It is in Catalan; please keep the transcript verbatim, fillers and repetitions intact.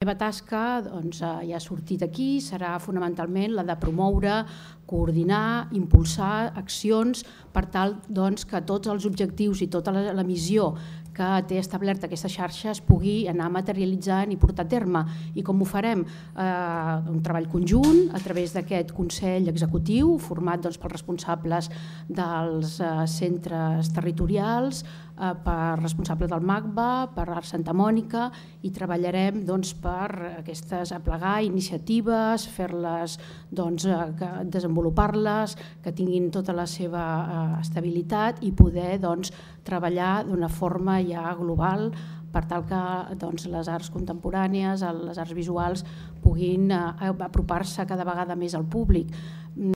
La meva tasca ja ha sortit aquí, serà fonamentalment la de promoure, coordinar, impulsar accions per tal que tots els objectius i tota la missió que té establerta aquesta xarxa es pugui anar materialitzant i portar a terme. I com ho farem? Un treball conjunt a través d'aquest Consell Executiu format pels responsables dels centres territorials, per responsable del MACBA, per Arts Santa Mònica, i treballarem per aplegar iniciatives, fer-les, desenvolupar-les, que tinguin tota la seva estabilitat i poder treballar d'una forma ja global per tal que les arts contemporànies, les arts visuals puguin apropar-se cada vegada més al públic.